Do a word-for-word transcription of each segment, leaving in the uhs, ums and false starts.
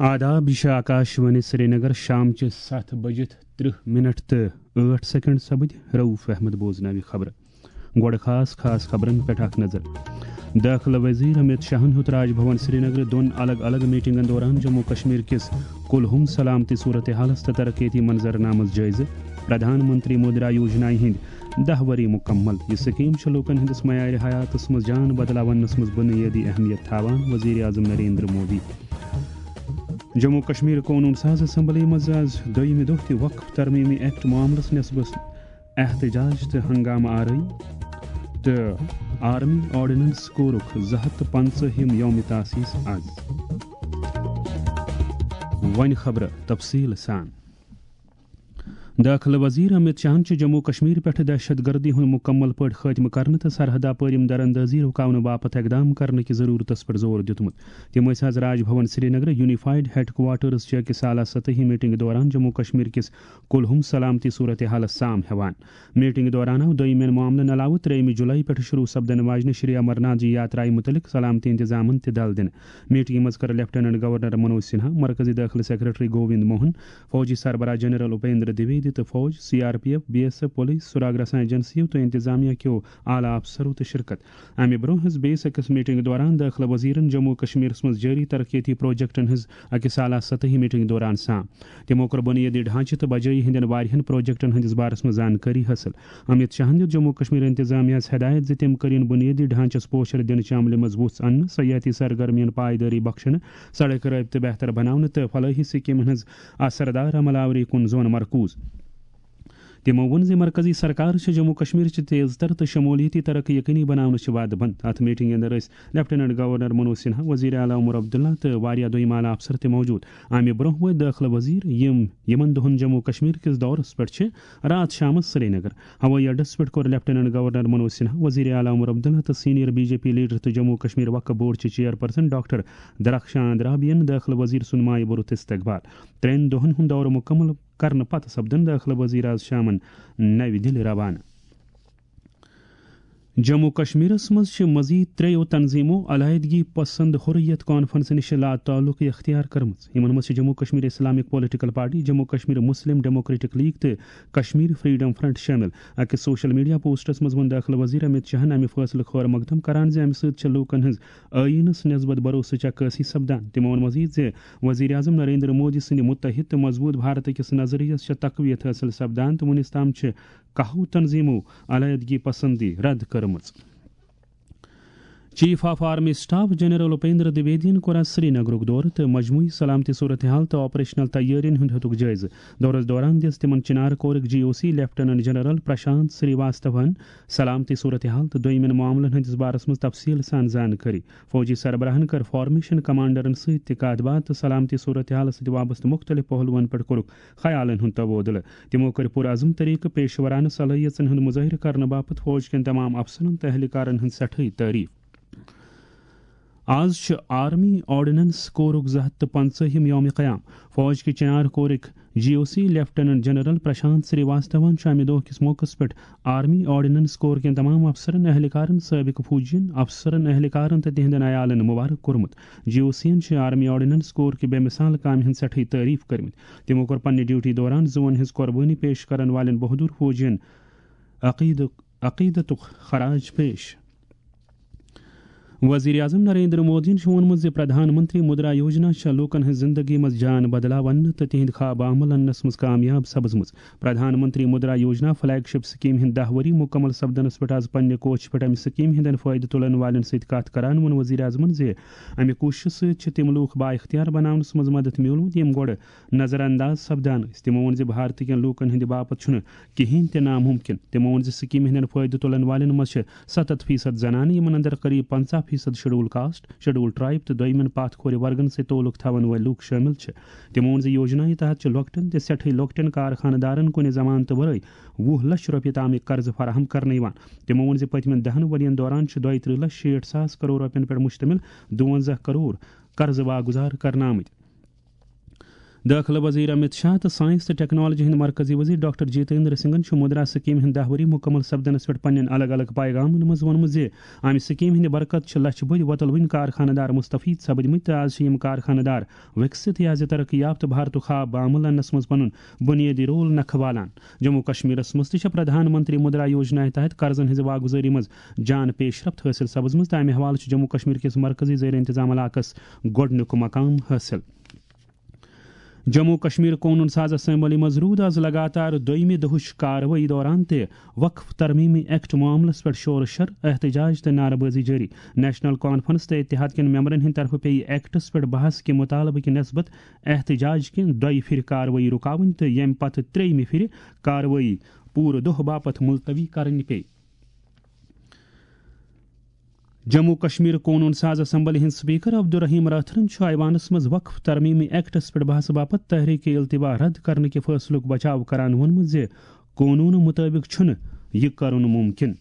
آداب، یہِ چھِ آکاش وانی سرینگر۔ شام چہِ ستھ بجِتھ ترٕہ منٹ تہٕ ٲٹھ سیکنڈ سپٕدۍ۔ رؤف احمد بوزناوِ خبرٕ۔ گۄڈٕ خاص خاص خبرن پٮ۪ٹھ اکھ نظر۔ دٲخلہٕ وزیر امت شاہن ہیوٚت راج بھون سرینگرٕ دۄن الگ الگ میٹنگن دوران جموں کشمیر کِس کُلہُم سلامتی صورتحالس تہٕ ترقیتی منظرنامس جٲیزٕ۔ پردھان منتری مدرا یوجنایہِ ہٕنٛدۍ دَہ ؤری مُکمل۔ یہِ سکیٖم چھِ لوٗکَن ہٕنٛدِس معیارِ حیاتَس منٛز جان بدلاونَس منٛز بُنیٲدی اہمیت تھاوان، وزیر اعظم نریندر مودی۔ جموں کشمیر قونوٗن ساز اسمبلی منٛز آز دوٚیمہِ دۄہ تہِ وقف ترمیمی ایکٹ معاملَس نسبت احتجاج تہٕ ہنگامہٕ آرٲیی تہٕ آرمی آرڈیننس کورُکھ زٕ ہَتھ تہٕ پنٛژاہ ہِم یوم تاسیس آز۔ وۄنۍ خبرٕ تفصیٖل سان۔ دٲخلہٕ وزیر امت شاہن چھُ جموں کشمیر پٮ۪ٹھ دہشت گردی ہُنٛد مُکمل پٲٹھۍ خٲتمہٕ کرنہٕ تہٕ سرحدہ پٲرِم درندٲزی رُکاونہٕ باپتھ اقدام کرنہٕ کہِ ضروٗرتس پٮ۪ٹھ زور دیُتمُت۔ تِم ٲسۍ آز راج بھون سرینگرٕ یونیفائیڈ ہیڈ کوارٹرز چہِ أکِس اعلیٰ سطحی میٹنگ دوران جموں کشمیر کِس کُلہُم سلامتی صورتحالس سام ہٮ۪وان۔ میٹنگ دوران آو دوٚیمٮ۪ن معاملن علاوٕ ترٛیٚیِمہِ جولائی پٮ۪ٹھ شروع سپدن واجنہِ شری امرناتھ جی یاترایہِ مُتعلق سلامتی انتظامن تہِ دل دِنہٕ۔ میٹنگہِ منٛز کٔر لیفٹیننٹ گورنر منوج سنہا، مرکزی دٲخلہٕ سیکرٹری گووند موہن، فوجی سربراہ جنرل اپیندر دویدی تہٕ فوج، C R P F, B S F, police, سراغ رساں ایجنسیو تہٕ انتظامیہ کیو اعلیٰ افسرو تہِ شرکت۔ امہِ برونٛہہ ہٕنٛز بیٚیِس أکِس میٹنگ دوران دٲخلہٕ وزیرن جموں کشمیرس منٛز جٲری ترقیتی پروجیکٹن ہٕنٛز أکِس اعلیٰ سطحی میٹنگ دوران سام۔ تِمو کوٚر بُنیٲدی ڈھانچہٕ تہٕ بجٲیی ہٕنٛدٮ۪ن واریاہن پروجیکٹن ہٕنٛدِس بارس منٛز زانکٲری حٲصِل۔ امت شاہن دیُت جموں کشمیر انتظامیہ ہس ہدایت زِ تِم کٔرِن بُنیٲدی ڈھانچس پوچھر دِنہٕ چہِ عملہِ منٛز وُژھ اننہٕ، سیاحتی سرگرمیَن پائیدٲری بخشنہٕ، سڑک رٲبطہٕ بہتر بناونہٕ تہٕ فلٲحی سکیمن ہٕنٛز اثردار عمل آوری کُن زون مرکوز۔ تِمو ووٚن زِ مرکزی سرکار چھِ جموں کشمیر چہِ تیز تر تہٕ شمولیتی ترقی یقینی بناونہٕ چہِ وعدٕ بنٛد۔ اتھ میٹنگہِ اندر ٲسۍ لیفٹیننٹ گورنر منوج سنہا، وزیر اعلیٰ عمر عبداللہ تہٕ واریاہ دوٚیِم اعلیٰ افسر تہِ موجود۔ امہِ برونٛہہ وٲتۍ دٲخلہٕ وزیر، یِم یِمن دۄہن جموں کشمیر کِس دورس پٮ۪ٹھ چھِ، راتھ شامس سرینگر۔ ہوٲیی اڈس پٮ۪ٹھ کوٚر لیفٹیننٹ گورنر منوج سنہا، وزیر اعلیٰ عمر عبداللہ تہٕ senior B J P leader تہٕ جموں کشمیر وقف بورڈ چہِ چیئرپرسن ڈاکٹر درخشان رابین دٲخلہٕ وزیر سُنٛد مایہِ بوٚرُتھ استقبال۔ ترٛٮ۪ن دۄہن ہُنٛد دورٕ مُکمل کرنہٕ پتہٕ سپدن دٲخلہٕ وزیر آز شامن نوِ دِلہِ روانہٕ۔ جموں کشمیرس منٛز چھِ مزید ترٛیٚیو تنظیمو علیحدگی پسند حریت کانفرنس نِش لاتعلقی اختیار کٔرمٕژ۔ یِمن منٛز چھِ Jammu Kashmir Islamic political party, Jammu Kashmir Muslim democratic league تہٕ کشمیر فریڈم فرنٹ شٲمِل۔ أکِس سوشل میڈیا پوسٹس منٛز ووٚن دٲخلہٕ وزیر امت شاہن امہِ فٲصلُک خٲر مقدم کران زِ امہِ سۭتۍ چھِ لوٗکن ہٕنٛز ٲییٖنس نسبت بھروسٕچ عکٲسی سپدان۔ تِمو ووٚن مزید زِ وزیر اعظم نریندر مودی سٕنٛدِ متحد تہٕ مضبوط بھارت کِس نظریس چھےٚ تقویت حٲصِل سپدان تہٕ وُنِس تام چھِ کاہو تنظیمو علیحدگی پسندی رد کٔرمٕژ۔ Chief of army staff general Upendra دویدین کوٚر آز سرینگرُک دورٕ تہٕ مجموعی سلامتی صورتحال تہٕ آپریشنل تیٲرین ہُنٛد ہیوٚتُکھ جٲیزٕ۔ دورس دوران دِژ تِمن چنار کورٕکۍ جی او سی لیفٹیننٹ جنرل پرشانت سری واستون سلامتی صورتحال تہٕ دوٚیمٮ۪ن معاملن ہٕنٛدِس بارس منٛز تفصیٖل سان زانکٲری۔ فوجی سربراہن کٔر فارمیشن کمانڈرن سۭتۍ تہِ کتھ باتھ تہٕ سلامتی صورتحالس سۭتۍ وابستہٕ مُختٔلِف پہلوَن پٮ۪ٹھ کوٚرُکھ خیالن ہُنٛد تبادلہٕ۔ تِمو کٔرۍ پُرعزم طریقہٕ پیشورانہٕ صلٲحیژن ہُنٛد مظٲہرٕ کرنہٕ باپتھ فوج کٮ۪ن تمام افسرن تہٕ اہلکارن ہٕنٛز سٮ۪ٹھٕے تعریف۔ آز چھُ آرمی آرڈیننس کورُک زٕ ہَتھ تہٕ پنٛژاہِم یوم قیام۔ فوج کہِ چنار کورٕکۍ جی او سی لیفٹیننٹ جنرل پرشانت سری واستون چھُ امہِ دۄہ کِس موقعس پٮ۪ٹھ آرمی آرڈیننس کور کٮ۪ن تمام افسرن، اہلکارن، سٲبقہٕ فوجین، افسرن، اہلکارن تہٕ تِہنٛدٮ۪ن عیالن مبارک کوٚرمُت۔ جی او سی ین چھِ آرمی آرڈیننس کور کہِ بے مثال کامہِ ہٕنٛز سٮ۪ٹھٕے تعریف کٔرمٕتۍ۔ تِمو کوٚر پننہِ ڈیوٹی دوران زُوَن ہٕنٛز قۄربٲنی پیش کرن والٮ۪ن بہادُر فوجین عقیدُک، عقیدتُک خراج پیش۔ وزیر اعظم نریندر مودیَن چھُ ووٚنمُت زِ پردھان منتری مدرا یوجنا چھےٚ لوٗکَن ہٕنٛز زِنٛدگی منٛز جان بدلاونہٕ تہٕ تِہنٛدۍ خواب عمل اننَس منٛز کامیاب سپٕزمٕژ۔ پردھان منتری مدرا یوجنا فلیگ شپ سکیٖم ہٕنٛدۍ دَہ ؤری مُکمل سپدنَس پٮ۪ٹھ آز پننہِ کوٹھِ پٮ۪ٹھ اَمہِ سکیٖم ہٕنٛدٮ۪ن فٲیدٕ تُلَن والٮ۪ن سۭتۍ کتھ کران ووٚن وزیر اعظمَن زِ اَمہِ کوٗششہٕ سۭتۍ چھِ تِم لوٗکھ بااختیار بناونَس منٛز مدد میوٗلمُت، یِم گۄڈٕ نظر انداز سپدان ٲسۍ۔ تِمو ووٚن زِ بھارتہٕ کٮ۪ن لوٗکَن ہٕنٛدِ باپتھ چھُنہٕ کِہینۍ تہِ ناممکن۔ تِمو ووٚن زِ سکیٖمہِ ہٕنٛدٮ۪ن فٲیدٕ تُلَن والٮ۪ن منٛز چھِ ستتھ فیصد زنانہٕ، یِمن اندر قریب پنژاہ فیصد شیڈول کاسٹ، شیڈول ٹرائب تہٕ دوٚیمٮ۪ن پاتھ کھورِ ورگن سۭتۍ تعلق تھاون وٲلۍ لوٗکھ شٲمِل چھِ۔ تِمو ووٚن زِ یوجنایہِ تحت چھِ لۄکٹٮ۪ن تہٕ سٮ۪ٹھٕے لۄکٹٮ۪ن کارخانہٕ دارن کُنہِ ضمانتہٕ ورٲے وُہ لچھ رۄپیہِ تامٕکۍ قرضہٕ فراہم کرنہٕ یِوان۔ تِمو ووٚن زِ پٔتمٮ۪ن دَہَن ؤرین دوران چھِ دۄیہِ ترٕٛہ لچھ شیٹھ ساس کرور رۄپین پٮ۪ٹھ مشتمل دُوَنزاہ کرور قرضہٕ واگُزار کرنہٕ آمٕتۍ۔ دٲخلہٕ وزیر امت شاہ تہٕ ساینس تہٕ ٹیکنالوجی ہٕنٛدۍ مرکزی وزیر ڈاکٹر جتیندر سنگھن چھُ مدرا سکیمہِ ہٕنٛدِ دَہ ؤری مُکمل سپدنس پٮ۪ٹھ پننٮ۪ن الگ الگ پیغامن منٛز ووٚنمُت زِ امہِ سکیمہِ ہٕنٛدِ برکت چھِ لچھِ بٔدۍ وۄتلوٕنۍ کارخانہٕ دار مستفید سپدمٕتۍ تہٕ از چھِ یِم کارخانہٕ دار وِکسِت یا زِ ترقی یافتہٕ بھارتُک خواب عمل اننس منٛز پنُن بُنیٲدی رول نکھٕ والان۔ جموں کشمیرس منٛز تہِ چھےٚ پردھان منتری مدرا یوجنا تحت قرضن ہٕنٛزِ واگُزٲری منٛز جان پیشرفت حٲصِل سپٕزمٕژ تہٕ امہِ حوالہٕ چھُ جموں کشمیر کِس مرکزی زیر انتظام علاقس گۄڈٕنیُک مقام حٲصِل۔ جموں کشمیر قونوٗن ساز اسمبلی منٛز روٗد از لگاتار دوٚیمہِ دۄہٕچ کاروٲیی دوران تہِ وقف ترمیمی ایکٹ معاملس پٮ۪ٹھ شور و شر، احتجاج تہٕ نعرٕ بٲزی جٲری۔ نیشنل کانفرنس تہٕ اتحاد کٮ۪ن ممبرن ہٕنٛدِ طرفہٕ پیٚیہِ ایکٹس پٮ۪ٹھ بحث کہِ مُطالبہٕ کہِ نسبت احتجاج کہِ دۄیہِ پھِرِ کاروٲیی رُکاوٕنۍ تہٕ ییٚمہِ پتہٕ ترٛیٚیمہِ پھِرِ کاروٲیی پوٗرٕ دۄہ باپتھ ملتوی کرٕنۍ پیٚیہِ۔ جموں کشمیر قونوٗن ساز اسمبلی ہٕنٛدۍ سپیکر عبدالرحیم راتھرن چھُ ایوانس منٛز وقف ترمیمی ایکٹس پٮ۪ٹھ بحثہٕ باپتھ تحریک التوا رد کرنہٕ کہِ فٲصلُک بچاو کران ووٚنمُت زِ قونوٗنہٕ مُطٲبِق چھُنہٕ یہِ کرُن مُمکِن۔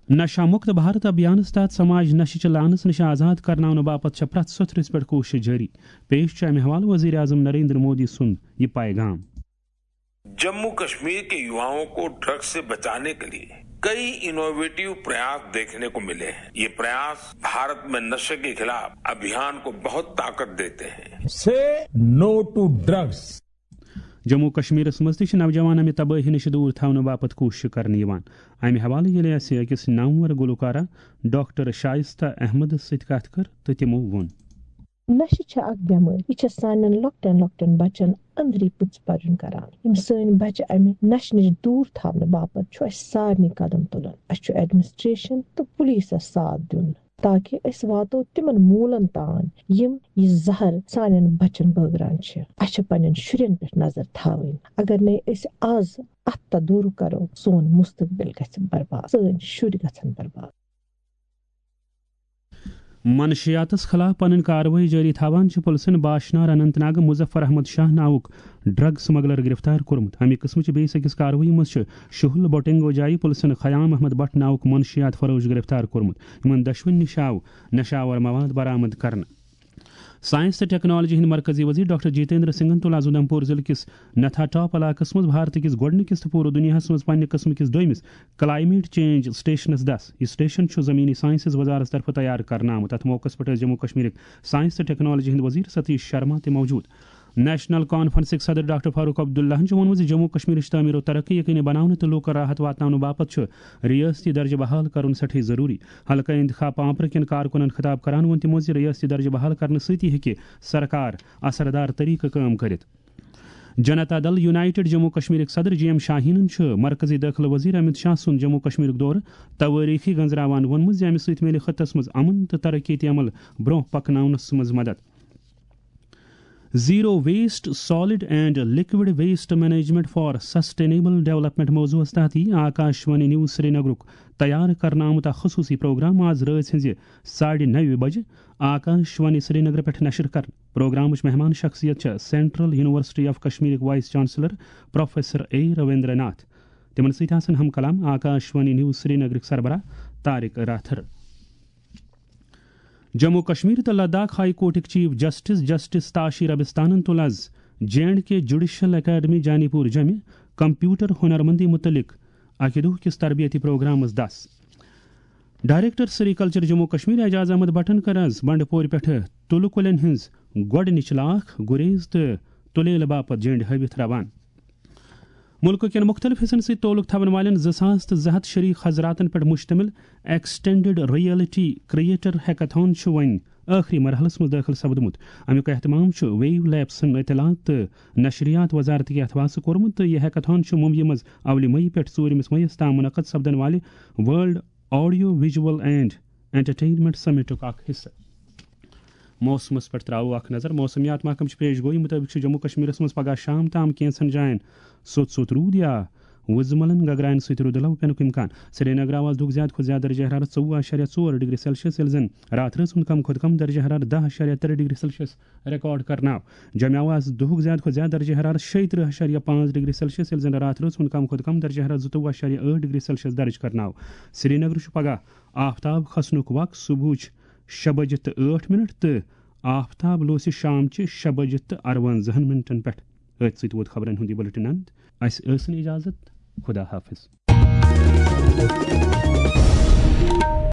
نشہ مکت بھارت ابھیانس تحت سماج نشہٕ چہِ لعنس نِش آزاد کرناونہٕ باپتھ چھےٚ پرٛٮ۪تھ سوٚتھرِس پٮ۪ٹھ کوٗشش جٲری۔ پیش چھُ امہِ حوالہٕ وزیر اعظم نریندر مودی سُنٛد یہِ پیغام۔ जम्मू कश्मीर के युवाओं को ड्रग्स से बचाने के लिए कई इनोवेटिव प्रयास देखने को मिले हैं। ये प्रयास भारत में नशे के खिलाफ अभियान को बहुत ताकत देते हैं। Say no to drugs. Jammu کشمیرس منٛز تہِ چھِ نوجوان امہِ تبٲہی نِش دوٗر تھاونہٕ باپتھ کوٗشش کرنہٕ یِوان۔ امہِ حوالہٕ ییٚلہِ اَسہِ أکِس نامور گلوکارہ ڈاکٹر شائستہ احمد سۭتۍ کتھ کٔر تہٕ تِمو ووٚن۔ نشہٕ چھےٚ اکھ بٮ۪مٲرۍ۔ یہِ چھےٚ سانٮ۪ن لۄکٹٮ۪ن لۄکٹٮ۪ن بچن أنٛدری پٕژٕ پرٕنۍ کران۔ یِم سٲنۍ بچہٕ امہِ نشہٕ نِش دوٗر تھاونہٕ باپتھ چھُ اسہِ سارنٕے قدم تُلُن۔ اسہِ چھُ ایڈمنسٹریشن تہٕ پُلیٖسس ساتھ دیُن، تاکہ أسۍ واتو تِمن موٗلن تام، یِم یہِ زہر سانٮ۪ن بچن بٲگران چھِ۔ اسہِ چھِ پننٮ۪ن شُرٮ۪ن پٮ۪ٹھ نظر تھاوٕنۍ۔ اگر نے أسۍ از اتھ تدورُک کرو، سون مستقبل گژھِ برباد، سٲنۍ شُرۍ گژھن برباد۔ منشیاتس خلاف پنٕنۍ کاروٲیی جٲری تھاوان چھِ پُلسن باشنار اننت ناگہٕ مظفر احمد شاہ ناوُک ڈرگ سمگلر گرفتار کوٚرمُت۔ امہِ قٕسمٕچ بیٚیِس أکِس کاروٲیی منٛز چھُ شُہُل بوٹنگو جایہِ پُلسن خیام احمد بٹ ناوُک منشیات فروش گرفتار کوٚرمُت۔ یِمن دۄشوٕنی نِش آو نشاور مواد برآمد کرنہٕ۔ ساینس تہٕ ٹیکنالوجی ہٕنٛدۍ مرکزی وزیر ڈاکٹر جتیندر سنگھن تُل از اُدھمپور ضلعہٕ کِس نتھا ٹاپ علاقس منٛز بھارتہٕ کِس گۄڈٕنِکِس تہٕ پوٗرٕ دُنیاہس منٛز پننہِ قٕسمہٕ کِس دوٚیمِس کلائمیٹ چینج سٹیشنس دس۔ یہِ سٹیشن چھُ زمینی ساینسز وزارتس طرفہٕ تیار کرنہٕ آمُت۔ اتھ موقعس پٮ۪ٹھ ٲسۍ جموں کشمیرٕکۍ ساینس تہٕ ٹیکنالوجی ہٕنٛدۍ وزیر ستیش شرما تہِ موجود۔ نیشنل کانفرنسٕکۍ صدر ڈاکٹر فاروق عبداللہن چھُ ووٚنمُت زِ جموں کشمیرٕچ تعمیر و ترقی یقینی بناونہٕ تہٕ لوٗکن راحت واتناونہٕ باپتھ چھُ ریاستی درجہٕ بحال کرُن سٮ۪ٹھٕے ضروٗری۔ حلقہ انتخاب پامپرٕ کٮ۪ن کارکُنن خطاب کران ووٚن تِمو زِ ریاستی درجہٕ بحال کرنہٕ سۭتی ہیٚکہِ سرکار اثردار طریقہٕ کٲم کٔرِتھ۔ جنتا دل یونائیٹڈ جموں کشمیرٕکۍ صدر جی ایم شاہینن چھُ مرکزی دٲخلہٕ وزیر امت شاہ سُنٛد جموں کشمیرُک دورٕ توٲریخی گنزراوان ووٚنمُت زِ امہِ سۭتۍ میلہِ خطس منٛز امن تہٕ ترقیتی عمل برونٛہہ پکناونس منٛز مدد۔ Zero Waste Solid and Liquid Waste Management for Sustainable Development موضوعس تحت یی آکاش وانی نیوز سرینگرُک تیار کرنہٕ آمُت اکھ خصوٗصی پروگرام آز رٲژ ہٕنٛزِ ساڑِ نَوِ بجہِ آکاش وانی سرینگر پٮ۪ٹھ نشر کرنہٕ۔ پروگرامٕچ مہمان شخصیت چھےٚ سینٹرل یونیورسٹی آف کشمیرٕکۍ vice chancellor professor A Ravinder Nath. تِمن سۭتۍ آسن ہم کلام آکاش وانی نیوز سرینگرٕکۍ سربراہ طارق راتھر۔ جموں کشمیر تہٕ لداخ ہائی کورٹٕکۍ چیف جسٹس جسٹس تاشی ربستانن تُل از J and K judicial academy Janipur جمہِ computer ہنرمندی متعلق اکہِ دۄہ کِس تربیتی پروگرامس دس۔ ڈائریکٹر سری کلچر جموں کشمیر اعجاز احمد بٹن کٔر از بنڈٕ پورِ پٮ۪ٹھٕ تُلہٕ کُلٮ۪ن ہٕنٛز گۄڈٕنِچ لاکھ گُریز تہٕ تُلیلہٕ باپتھ جنڈ ہٲوِتھ روانہٕ۔ مُلکہٕ کٮ۪ن مُختٔلِف حِصن سۭتۍ تعلق تھاوَن والٮ۪ن زٕ ساس تہٕ زٕ ہَتھ شریٖک حضراتن پٮ۪ٹھ مُشتمِل ایکسٹینڈڈ ریئلٹی کریٹر ہیکاتھان چھُ وۄنۍ ٲخری مرحلَس منٛز دٲخل سپدمُت۔ اَمیُک اہتمام چھُ ویو لیبسن اطلاعات تہٕ نشریات وزارتٕکۍ اتھواسہٕ کوٚرمُت تہٕ یہِ ہیکاتھان چھُ ممبیہِ منٛز اولہِ مئی پٮ۪ٹھ ژوٗرِمِس مئیس تام منعقد سپدن والہِ world audio visual and entertainment سمٹُک اکھ حصہٕ۔ موسمس پٮ۪ٹھ تراوو اکھ نظر۔ موسمیات محکمہٕ چہِ پیش گویی مُطٲبِق چھُ جموں کشمیرس منٛز پگہہ شام تام کینٛژن جاین سوٚت سوٚت روٗد یا وُزملن گگراین سۭتۍ روٗدٕ لو پینُک امکان۔ سرینگرٕ آو از دُہُک زیادٕ کھۄتہٕ زیادٕ درجہ حرارت ژوٚوُہ اَشاریہ ژور ڈگری سیلسیس، ییٚلہِ زن راتھ رٲژ ہُنٛد کم کھۄتہٕ کم درجہ حرارت دَہ اَشاریہ ترٛےٚ ڈگری سیلسیس ریکارڈ کرنہٕ آو۔ جوٚمہِ آو از دُہُک زیادٕ کھۄتہٕ زیادٕ درجہ حرارت شیٚیہِ ترٕٛہ اَشاریہ پانٛژھ ڈگری سیلسیس، ییٚلہِ زن راتھ رٲژ ہُنٛد کم کھۄتہٕ کم درجہ حرارت زٕتووُہ اَشاریہ ٲٹھ ڈگری سیلسیس درج کرنہٕ آو۔ سرینگرٕ چھُ پگہہ آفتاب کھسنُک وق صبحٕچ شےٚ بجہِ تہٕ ٲٹھ منٹ تہٕ آفتاب لوسہِ شام چہِ شےٚ بجہِ تہٕ اَروَنزاہن منٹن پٮ۪ٹھ۔ أتھۍ سۭتۍ ووت خبرن ہُنٛد یہِ بُلٹن اند۔ اسہِ ٲسِن اجازت۔ خدا حافظ۔